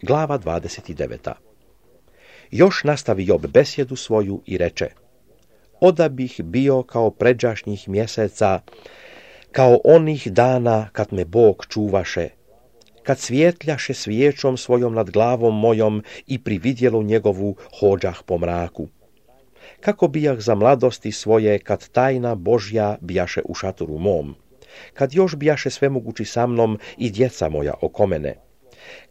Glava 29. Još nastavi Job besjedu svoju i reče: Oda bih bio kao pređašnjih mjeseca, kao onih dana kad me Bog čuvaše, kad svjetljaše svijećom svojom nad glavom mojom i pri vidjelu njegovu hođah po mraku. Kako bijah za mladosti svoje, kad tajna Božja bijaše u šatoru mom, kad još bijaše svemogući sa mnom i djeca moja oko mene,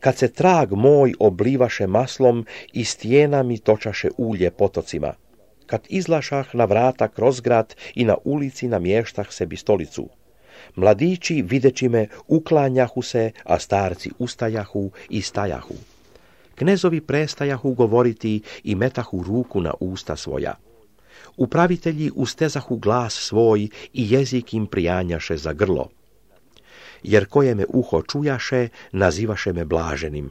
kad se trag moj oblivaše maslom i stijena mi točaše ulje potocima, kad izlašah na vrata kroz grad i na ulici namještah sebi stolicu. Mladići videći me uklanjahu se, a starci ustajahu i stajahu. Knezovi prestajahu govoriti i metahu ruku na usta svoja. Upravitelji ustezahu glas svoj i jezik im prijanjaše za grlo. Jer koje me uho čujaše, nazivaše me blaženim,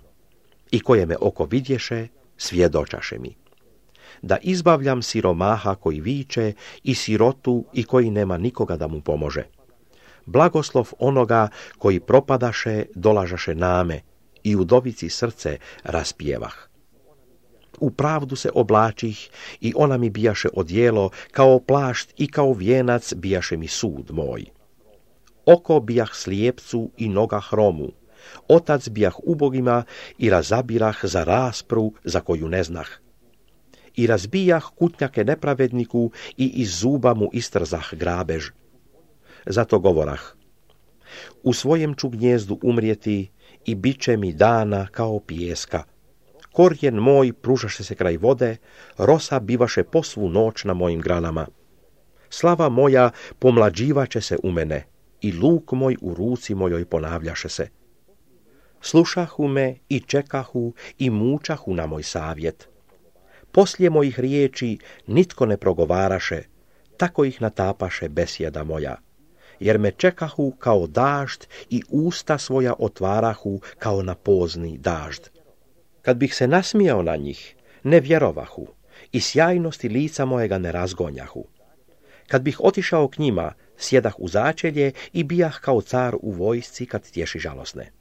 i koje me oko vidješe, svjedočaše mi. Da izbavljam siromaha koji viče i sirotu i koji nema nikoga da mu pomože. Blagoslov onoga koji propadaše dolažaše name i udovici srce raspjevah. U pravdu se oblačih i ona mi bijaše odjelo, kao plašt i kao vijenac bijaše mi sud moj. Oko bijah slijepcu i noga hromu, otac bijah ubogima i razabirah za raspru za koju ne znah. I razbijah kutnjake nepravedniku i iz zuba mu istrzah grabež. Zato govorah: u svojem ću gnjezdu umrijeti i bit će mi dana kao pijeska. Korijen moj pružaše se kraj vode, rosa bivaše po svu noć na mojim granama. Slava moja pomlađivaće se u mene i luk moj u ruci mojoj ponavljaše se. Slušahu me i čekahu i mučahu na moj savjet. Poslije mojih riječi nitko ne progovaraše, tako ih natapaše besjeda moja. Jer me čekahu kao dažd i usta svoja otvarahu kao na pozni dažd. Kad bih se nasmijao na njih, ne vjerovahu i sjajnosti lica mojega ne razgonjahu. Kad bih otišao k njima, sjedah u začelje i bijah kao car u vojsci kad tješi žalosne.